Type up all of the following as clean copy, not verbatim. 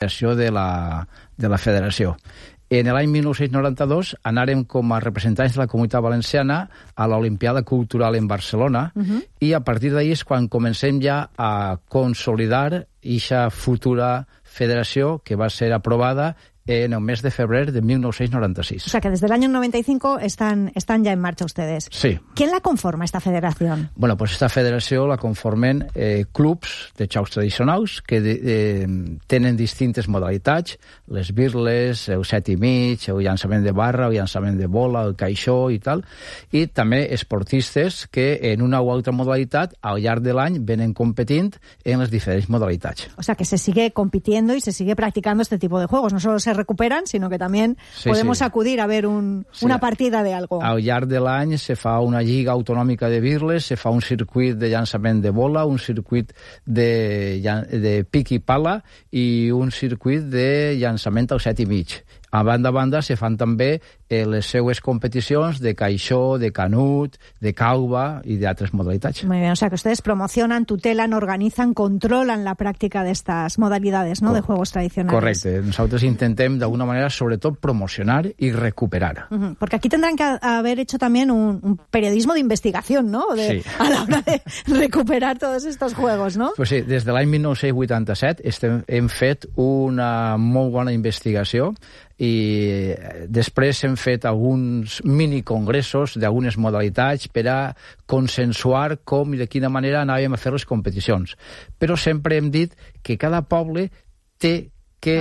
creació de la federació. En l'any 1992 anàrem com a representants de la Comunitat Valenciana a l'Olimpiada Cultural en Barcelona i a partir d'ahir és quan comencem ja a consolidar aquesta futura federació que va ser aprovada en el mes de febrer de 1996. O sea que desde el año 95 están ya en marcha ustedes. Sí. ¿Quién la conforma, esta federación? Bueno, pues esta federació la conformen clubs de jocs tradicionals que tenen distintes modalitats, les birles, el 7 i mig, el llançament de barra, el llançament de bola, el caixó i tal, i també esportistes que en una o altra modalitat al llarg de l'any venen competint en les diferents modalitats. O sea que se sigue compitiendo y se sigue practicando este tipo de juegos. No solo se recuperan, sino que también podemos acudir a ver una partida de algo. Al llarg de l'any se fa una lliga autonòmica de birles, se fa un circuit de llançament de bola, un circuit de pic i pala i un circuit de llançament al 7 i mig. A banda se fan també les seues competicions de caixó, de canut, de cauba y de otras modalidades. Muy bien, o sea que ustedes promocionan, tutelan, organizan, controlan la práctica de estas modalidades, ¿no? De juegos tradicionales. Correcte. Nosotros intentem d'alguna manera, sobretot, promocionar y recuperar. Porque aquí tendrán que haber hecho también un periodismo de investigación, ¿no? Sí. A la hora de recuperar todos estos juegos, ¿no? Pues sí, des de l'any 1987 hem fet una molt bona investigació i després hem fet alguns minicongressos d'algunes modalitats per a consensuar com i de quina manera anàvem a fer les competicions. Però sempre hem dit que cada poble té que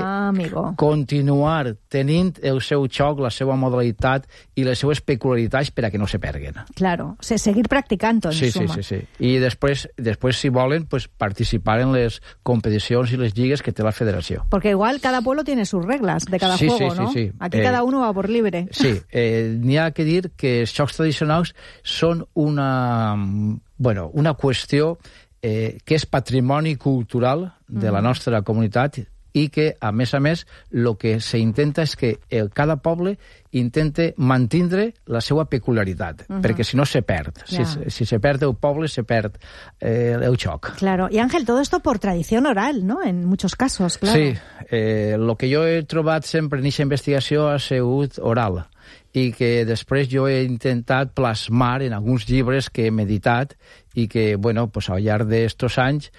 continuar tenint el seu xoc, la seva modalitat i les seues peculiaritats per a que no se perguen. Claro, o sea, seguir practicando en suma. Sí. I després, si volen, pues, participar en les competicions i les lligues que té la federació. Porque igual cada pueblo tiene sus reglas de cada juego, ¿no? Sí. Aquí cada uno va por libre. Sí, n'hi ha que dir que els jocs tradicionals són una qüestió que és patrimoni cultural de la nostra comunitat i que, a més, el que s'intenta és que cada poble intente mantindre la seva peculiaritat, perquè si no se perd. Si se perd el poble, se perd el xoc. Claro. Y Ángel, todo esto por tradición oral, ¿no? En muchos casos, claro. Sí. Lo que jo he trobat sempre en aquesta investigació ha sigut oral i que després jo he intentat plasmar en alguns llibres que he meditat i que, pues, al llarg d'estos anys,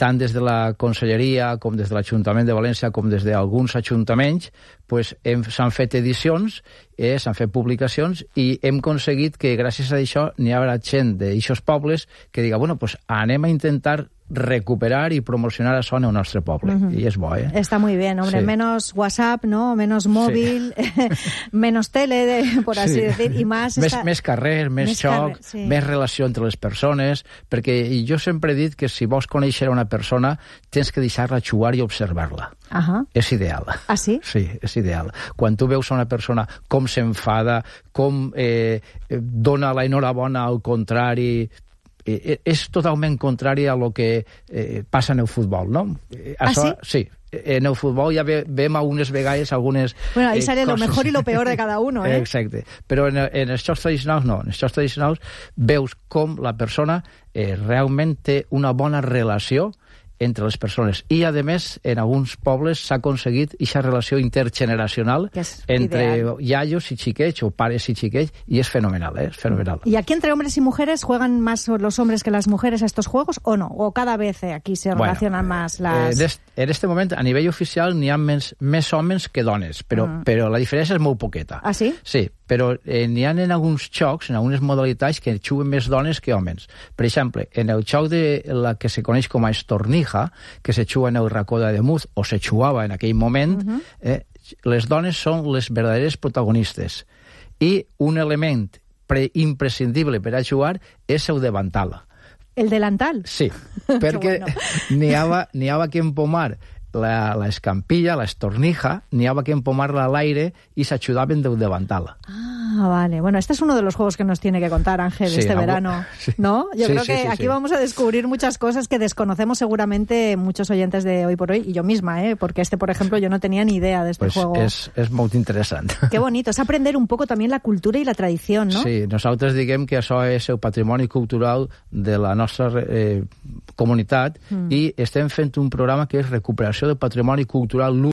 tant des de la Conselleria com des de l'Ajuntament de València com des d'alguns ajuntaments, pues, s'han fet edicions, s'han fet publicacions i hem aconseguit que gràcies a això n'hi haurà gent d'aixos pobles que diga, pues, anem a intentar recuperar y promocionar a Son en nuestro pueblo. Y es bueno, Está muy bien, hombre. Sí. Menos WhatsApp, ¿no? Menos móvil, menos tele, por así decir, y más... Més carrer, més xoc, més relació entre les persones, perquè jo sempre he dit que si vols conèixer una persona tens que deixar-la jugar i observar-la. És ideal. Ah, sí? Sí, és ideal. Quan tu veus una persona com s'enfada, com dona la enhorabona al contrari... és totalment contrari a lo que passa en el futbol, no? Això, sí. En el futbol ja vem algunes vegades algunes... Bueno, ahí sale lo mejor y lo peor de cada uno, ¿eh? Exacte. Però en els jocs tradicionals no. En els jocs tradicionals veus com la persona realment té una bona relació entre les persones. I, a més, en alguns pobles s'ha aconseguit aquesta relació intergeneracional entre iaios i xiquets o pares i xiquets, i és fenomenal, és fenomenal. ¿Y aquí entre hombres y mujeres juegan más los hombres que las mujeres a estos juegos o no? ¿O cada vez aquí se relacionan más las...? En este moment, a nivell oficial, n'hi ha més homes que dones, però la diferència és molt poqueta. Ah, sí? Sí, però n'hi ha en alguns jocs, en algunes modalitats, que juguen més dones que homes. Per exemple, en el joc de la que se coneix com a estornija, que se juga en el racó de Demuz, o se jugava en aquell moment, les dones són les verdaderes protagonistes. I un element imprescindible per a jugar és el davantal. ¿El delantal? Sí, perquè n'hi havia que empomar la escampilla, la estornija, n'hi havia que empomar-la a l'aire i s'ajudaven del davantal. Ah, vale. Bueno, este es uno de los juegos que nos tiene que contar Ángel este verano, ¿no? Yo creo que aquí vamos a descubrir muchas cosas que desconocemos seguramente muchos oyentes de Hoy por Hoy, y yo misma, porque por ejemplo, yo no tenía ni idea de este juego. És molt interessant. Qué bonito, es aprender un poco también la cultura y la tradición, ¿no? Sí, nosaltres diguem que això és el patrimoni cultural de la nostra comunitat i estem fent un programa que és recuperació del patrimoni cultural